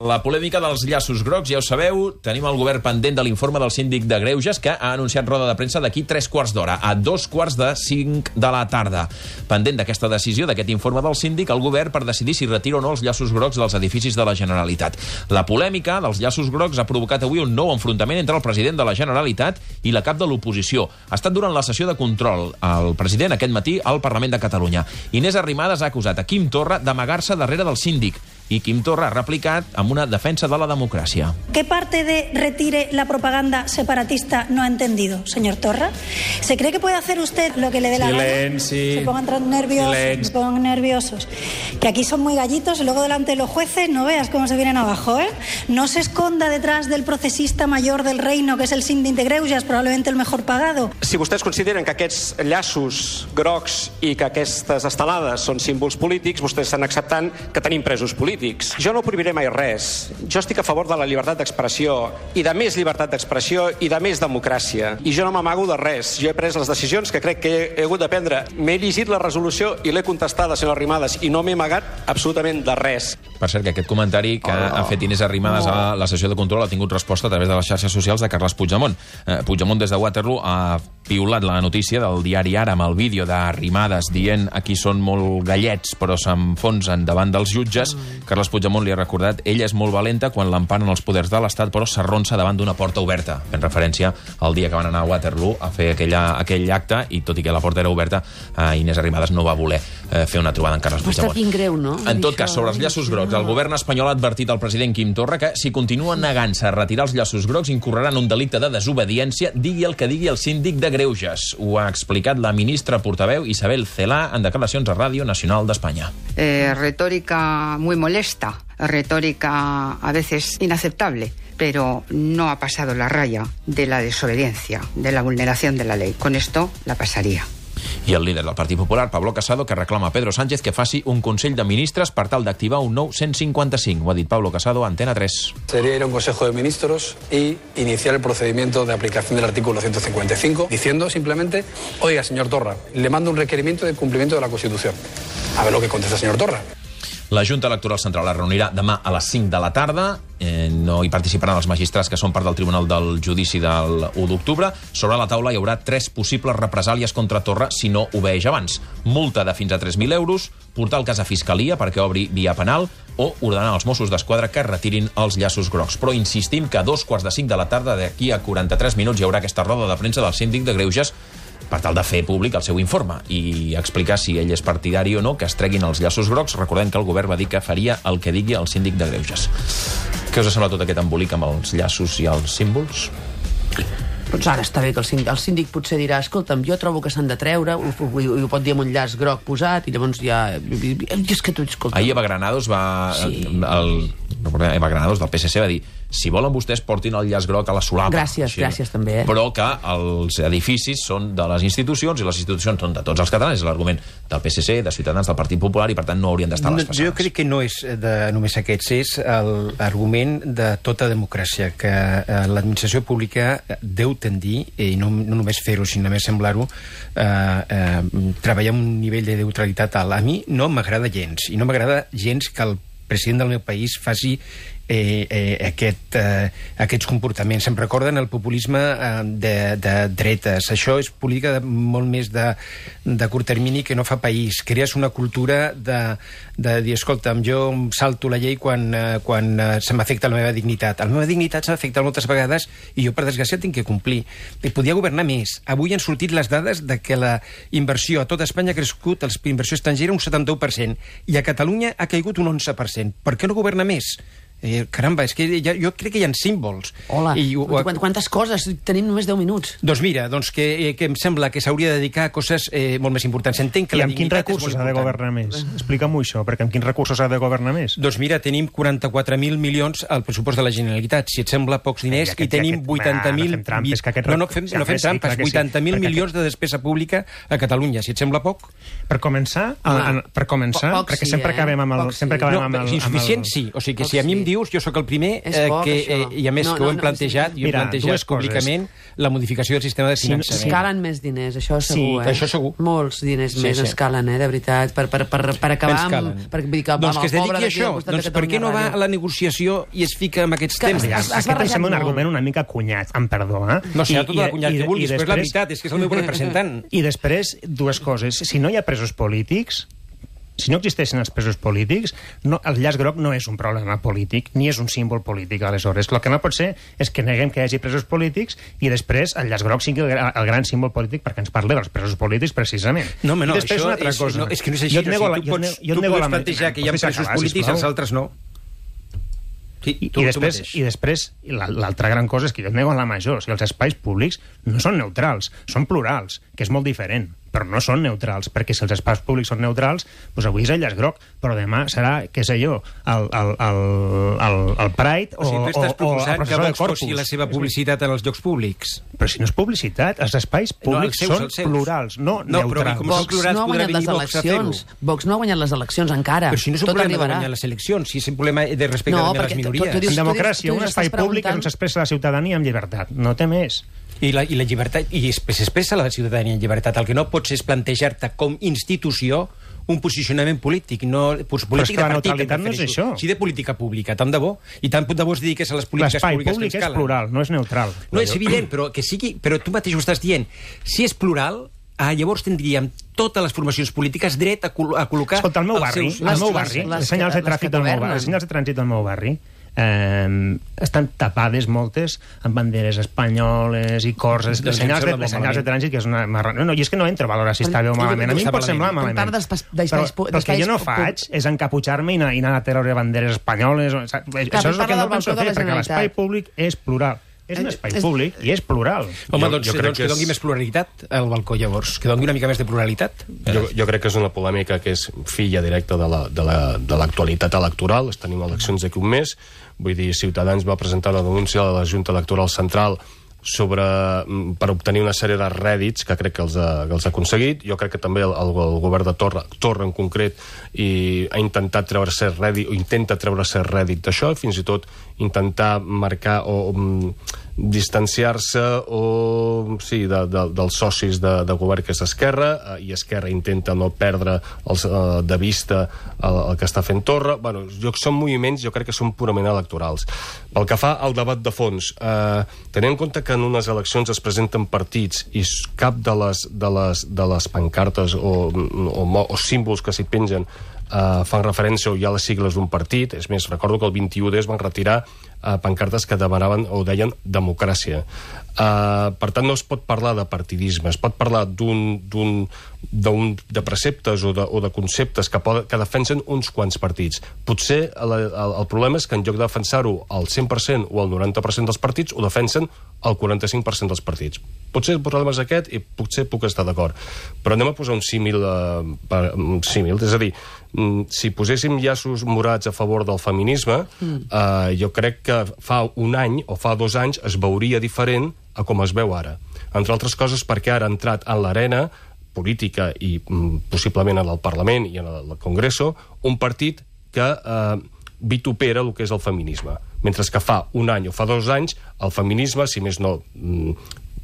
La polèmica dels llaços grocs, ja ho sabeu, tenim el govern pendent de l'informe del síndic de Greuges, que ha anunciat roda de premsa d'aquí 3/4 d'hora, a 2:45 de la tarda. Pendent d'aquesta decisió, d'aquest informe del síndic, el govern per decidir si retira o no els llaços grocs dels edificis de la Generalitat. La polèmica dels llaços grocs ha provocat avui un nou enfrontament entre el president de la Generalitat i la cap de l'oposició. Ha estat durant la sessió de control. El president aquest matí al Parlament de Catalunya. Inés Arrimadas ha acusat a Quim Torra d'amagar-se darrere del síndic i Quim Torra ha replicat amb una defensa de la democràcia. ¿Qué parte de retire la propaganda separatista no ha entendido, señor Torra? ¿Se cree que puede hacer usted lo que le dé la gana? Se pongan nerviosos. Que aquí son muy gallitos y luego delante de los jueces no veas cómo se vienen abajo, ¿eh? No se esconda detrás del procesista mayor del reino, que es el síndic de Greuges, probablemente el mejor pagado. Si vostès consideren que aquests llaços grocs i que aquestes estelades són símbols polítics, vostès estan acceptant que tenim presos polítics. Jo no prohibiré mai res. Jo estic a favor de la llibertat d'expressió i de més llibertat d'expressió i de més democràcia. I jo no m'amago de res. Jo he pres les decisions que crec que he hagut de prendre. M'he llegit la resolució i l'he contestada, senyora Arrimadas, i no m'he amagat absolutament de res. Per cert, que aquest comentari que ha fet Inés Arrimadas a la sessió de control ha tingut resposta a través de les xarxes socials de Carles Puigdemont. Puigdemont des de Waterloo ha piulat la notícia del diari Ara amb el vídeo d'Arrimadas dient aquí són molt gallets però s'enfonsen davant dels jutges. Carles Puigdemont li ha recordat ella és molt valenta quan l'emparen els poders de l'Estat però s'arronsa davant d'una porta oberta, fent referència al dia que van anar a Waterloo a fer aquell acte i tot i que la porta era oberta, Inés Arrimadas no va voler fer una trobada amb Carles Puigdemont. Ha estat greu, no? En tot cas, sobre els llaços grocs, el govern espanyol ha advertit al president Quim Torra que si continua negant-se a retirar els llaços grocs incorrerà en un delicte de desobediència, digui el que digui el síndic de Greuges. Ho ha explicat la ministra portaveu Isabel Celaá en declaracions a Ràdio Nacional d'Espanya. Retórica muy molesta, retórica a veces inaceptable, pero no ha pasado la raya de la desobediencia, de la vulneración de la ley. Con esto la pasaría. I el líder del Partit Popular, Pablo Casado, que reclama a Pedro Sánchez que faci un Consell de Ministres per tal d'activar un nou 155. Ho ha dit Pablo Casado a Antena 3. Sería ir a un Consejo de Ministros y iniciar el procedimiento de aplicación del artículo 155, diciendo simplemente, oiga, señor Torra, le mando un requerimiento de cumplimiento de la Constitución. A ver lo que contesta el señor Torra. La Junta Electoral Central es reunirà demà a les 5 de la tarda. No hi participaran els magistrats que són part del Tribunal del Judici del 1 d'octubre. Sobre la taula hi haurà 3 possibles represàlies contra Torra si no obeeix abans. Multa de fins a 3.000 euros, portar el cas a Fiscalia perquè obri via penal o ordenar als Mossos d'Esquadra que retirin els llaços grocs. Però insistim que a 2:45 de la tarda, d'aquí a 43 minuts, hi haurà aquesta roda de premsa del síndic de Greuges per tal de fer públic el seu informe i explicar si ell és partidari o no que es treguin els llaços grocs. Recordem que el govern va dir que faria el que digui el síndic de Greuges. Què us ha semblat tot aquest embolic amb els llaços i els símbols? Doncs ara està bé que el síndic potser dirà escolta'm, jo trobo que s'han de treure, ho pot dir amb un llaç groc posat i llavors ja... És que tu, escolta... Ahir Eva Granados va... Sí. Eva Granados del PSC va dir si volen vostès portin el llaç groc a la solapa. Gràcies també, Però que els edificis són de les institucions i les institucions són de tots els catalans. És l'argument del PSC, de Ciutadans, del Partit Popular i per tant no haurien d'estar a les façanes. Jo crec que no és només aquests, és l'argument de tota democràcia, que l'administració pública deu tendir, i no només fer-ho, sinó només semblar-ho, treballar amb un nivell de neutralitat alt. A mi no m'agrada gens, i no m'agrada gens que el president del meu país faci aquests comportaments. Em recorden el populisme de dretes. Això és política molt més de curt termini que no fa país. Crees una cultura de dir, escolta'm, jo salto la llei quan se m'afecta la meva dignitat. La meva dignitat s'ha afectat moltes vegades i jo, per desgràcia, tinc que complir. Podia governar més. Avui han sortit les dades de que la inversió a tot Espanya ha crescut, la inversió estrangera, un 71%, i a Catalunya ha caigut un 11%. Per què no governa més? Caramba, és que jo crec que hi ha símbols. Hola, quantes coses? Tenim només 10 minuts. Doncs mira, que em sembla que s'hauria de dedicar a coses molt més importants. Entenc que I amb quins recursos ha de governar més? Explica'm-ho això, perquè amb quins recursos ha de governar més? Doncs mira, tenim 44.000 milions al pressupost de la Generalitat, si et sembla pocs diners, i tenim 80.000... No fem trampes, 80.000 milions de despesa pública a Catalunya, si et sembla poc? Per començar, perquè sempre acabem amb el... Insuficient sí, o sigui que si a mi em dius, jo sóc el primer i a més que ho hem plantejat, i ho hem plantejat públicament, la modificació del sistema de finançament. Ens calen més diners, això segur, això segur. Molts diners més ens calen, de veritat, per acabar amb... Doncs que es dediqui a això. Doncs per què no va a la negociació i es fica amb aquests temes? Aquest em sembla un argument una mica cunyat, amb perdó. No sé, tot el cunyat que vulguis, però és la veritat, és que és el meu representant. I després, dues coses. Si no hi ha presos polítics, si no existeixen els presos polítics, el llaç groc no és un problema polític, ni és un símbol polític, aleshores. El que no pot ser és que neguem que hi hagi presos polítics i després el llaç groc sigui el gran símbol polític perquè ens parli dels presos polítics, precisament. No, home, no, això és que no és així. Tu pots plantejar que hi ha presos polítics, els altres no. I després l'altra gran cosa és que jo et nego la major. O sigui, els espais públics no són neutrals, són plurals, que és molt diferent, però no són neutrals, perquè si els espais públics són neutrals, doncs avui és el llaç groc, però demà serà, què sé jo, el Pride o tu estàs proposant que Vox posi la seva publicitat en els llocs públics. Però si no és publicitat, els espais públics són plurals, no neutrals. Vox no ha guanyat les eleccions. Vox no ha guanyat les eleccions encara. Però si no és un problema de guanyar les eleccions, si és un problema de respecte a les minories. En democràcia, un espai públic on s'expressa la ciutadania amb llibertat. No té més. I la llibertat, i s'expressa la ciutadania en llibertat. El que no pots és plantejar-te com institució un posicionament polític, no polític de partit. Però és que la neutralitat no és això. Sí, de política pública, tant de bo. I tant de bo es dediques a les polítiques públiques que ens calen. L'espai públic és plural, no és neutral. No, és evident, però que sigui... Però tu mateix ho estàs dient. Si és plural, llavors tindríem totes les formacions polítiques dret a col·locar... Escolta, al meu barri, les senyals de trànsit del meu barri, les senyals de trànsit del meu barri, estan tapades moltes amb banderes espanyoles i cors, les senyals de trànsit, que és una marrana. No, i és que no entro a valorar si està bé o malament. A mi em pot semblar malament. Però el que jo no faig és encaputxar-me i anar a treure banderes espanyoles. Això és el que no penso fer, perquè l'espai públic és plural. És un espai públic i és plural. Home, doncs que doni més pluralitat al balcó, llavors. Que doni una mica més de pluralitat. Jo crec que és una polèmica que és filla directa de l'actualitat electoral. Tenim eleccions d'aquí un mes. Vull dir, Ciutadans va presentar una denúncia a la Junta Electoral Central per obtenir una sèrie de rèdits que crec que els ha aconseguit. Jo crec que també el govern de Torra en concret ha intentat treure cert rèdit, o intenta treure cert rèdit d'això, fins i tot intentar marcar o distanciar-se dels socis de govern que és Esquerra, i Esquerra intenta no perdre de vista el que està fent Torra. Bueno, són moviments, jo crec que són purament electorals. Pel que fa al debat de fons, tenint en compte que en unes eleccions es presenten partits i cap de les pancartes o símbols que s'hi pengen fan referència o hi ha les sigles d'un partit. És més, recordo que el 21D es van retirar pancartes que demanaven o deien democràcia. Per tant, no es pot parlar de partidisme, es pot parlar de preceptes o de conceptes que defensen uns quants partits. Potser el problema és que en lloc de defensar-ho al 100% o al 90% dels partits, ho defensen al 45% dels partits. Potser el problema és aquest i potser puc estar d'acord. Però anem a posar un símil, és a dir, si poséssim llaços morats a favor del feminisme, jo crec que fa un any o fa 2 anys es veuria diferent a com es veu ara. Entre altres coses perquè ara ha entrat en l'arena política i possiblement en el Parlament i en el Congreso un partit que vitupera el que és el feminisme. Mentre que fa un any o fa 2 anys el feminisme, si més no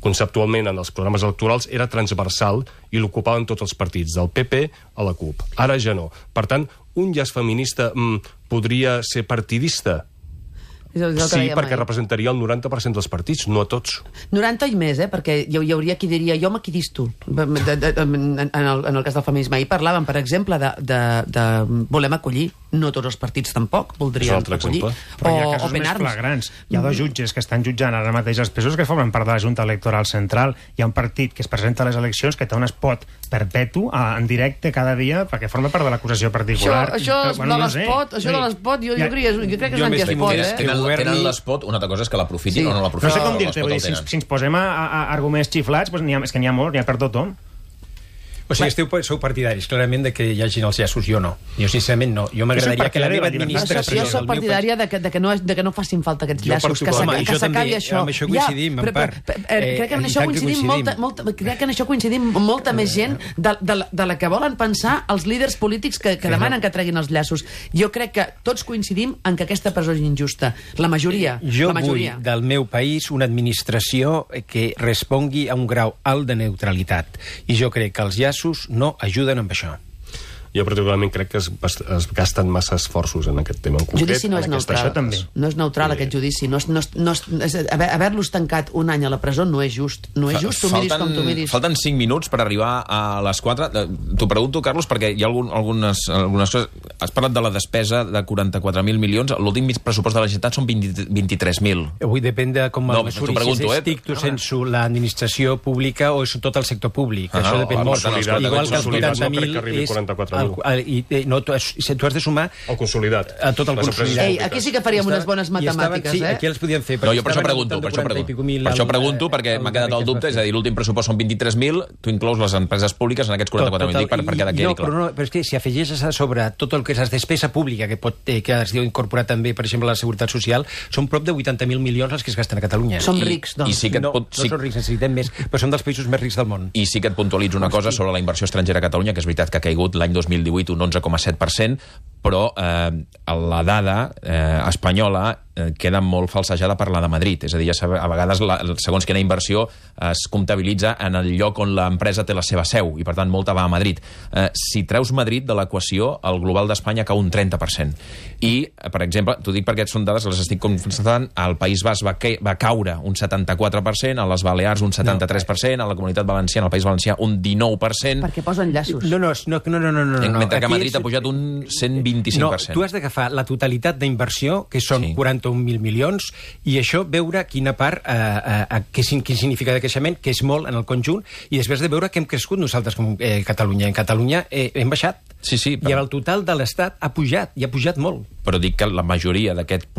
conceptualment en els programes electorals, era transversal i l'ocupaven tots els partits, del PP a la CUP. Ara ja no. Per tant, un llaç feminista podria ser partidista? Sí, perquè representaria el 90% dels partits, no a tots. 90 i més, perquè hi hauria qui diria jo m'equidisto en el cas del feminisme. Ahir parlàvem, per exemple, de volem acollir. No tots els partits tampoc voldrien acollir. Però hi ha casos més flagrants. Hi ha 2 jutges que estan jutjant ara mateix els presos que formen part de la Junta Electoral Central. Hi ha un partit que es presenta a les eleccions que té un spot perpetu en directe cada dia perquè forma part de l'acusació particular. Això de l'espot, jo crec que és un antiespot. Tenen l'espot, una altra cosa és que l'aprofitin o no l'aprofitin. No sé com dir-te, si ens posem a arguments xiflats, és que n'hi ha molt, n'hi ha per tothom. O sigui, sou partidaris, clarament, de que hi hagin els llaços. Jo no. Jo, sincerament, no. Jo m'agradaria que la meva administració... Jo soc partidària de que no facin falta aquests llaços, que s'acabi això. Amb això coincidim, en part. Crec que en això coincidim molta més gent de la que volen pensar els líders polítics que demanen que treguin els llaços. Jo crec que tots coincidim en que aquesta presó és injusta. La majoria. Jo vull del meu país una administració que respongui a un grau alt de neutralitat. I jo crec que els llaços no ajuden amb això. Jo particularment crec que es gasten massa esforços en aquest tema en concret. Judici no és neutral. No és neutral aquest judici. Haver-los tancat un any a la presó no és just. No és just, tu miris com tu miris. Falten 5 minuts per arribar a les 4. T'ho pregunto, Carlos, perquè hi ha algunes coses... Has parlat de la despesa de 44.000 milions. L'últim pressupost de la Generalitat són 23.000. Avui depèn de com el mesuri. Si és estricto sensu l'administració pública o és tot el sector públic. Això depèn molt. Igual que els 80.000 és... No, tu has de sumar el consolidat. A tot el consolidat. Aquí sí que faríem unes bones matemàtiques, sí, aquí les podíem fer. No, jo per això pregunto, perquè m'ha quedat el dubte, és a dir, l'últim pressupost són 23.000, tu inclous les empreses públiques en aquests 44.000, per quedar quedi clar. No, però és que si afegeixes a sobre tot el que és la despesa pública, que es diu incorporar també, per exemple, la Seguretat Social, són prop de 80.000 milions els que es gasten a Catalunya. Som rics, doncs. No som rics, necessitem més, però som dels països més rics del món. I sí que et puntualitzo una cosa sobre la inversió estrangera a Catalunya, que és veritat que ha caigut l'any 2018 un 11,7%, però la dada espanyola queda molt falsejada per la de Madrid. És a dir, a vegades, segons quina inversió es comptabilitza en el lloc on l'empresa té la seva seu, i per tant molta va a Madrid. Si treus Madrid de l'equació, el global d'Espanya cau un 30%. I, per exemple, t'ho dic perquè són dades que les estic constatant, al País Basc va caure un 74%, a les Balears un 73%, a la Comunitat Valenciana, al País Valencià, un 19%. Perquè posen llaços. No. Mentre que a Madrid ha pujat un 125%. No, tu has d'agafar la totalitat d'inversió, que són 41.000 milions, i això veure quina part, quin significa de creixement, que és molt en el conjunt, i després de veure que hem crescut nosaltres com Catalunya. En Catalunya hem baixat. Sí, i el total de l'Estat ha pujat, i ha pujat molt. Però dic que la majoria d'aquest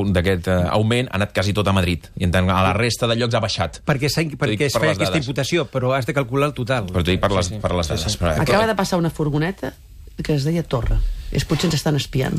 augment ha anat quasi tot a Madrid, i a la resta de llocs ha baixat. Perquè es feia aquesta imputació, però has de calcular el total. Però t'ho dic per les dades. Acaba de passar una furgoneta que es deia Torra. Potser ens estan espiant.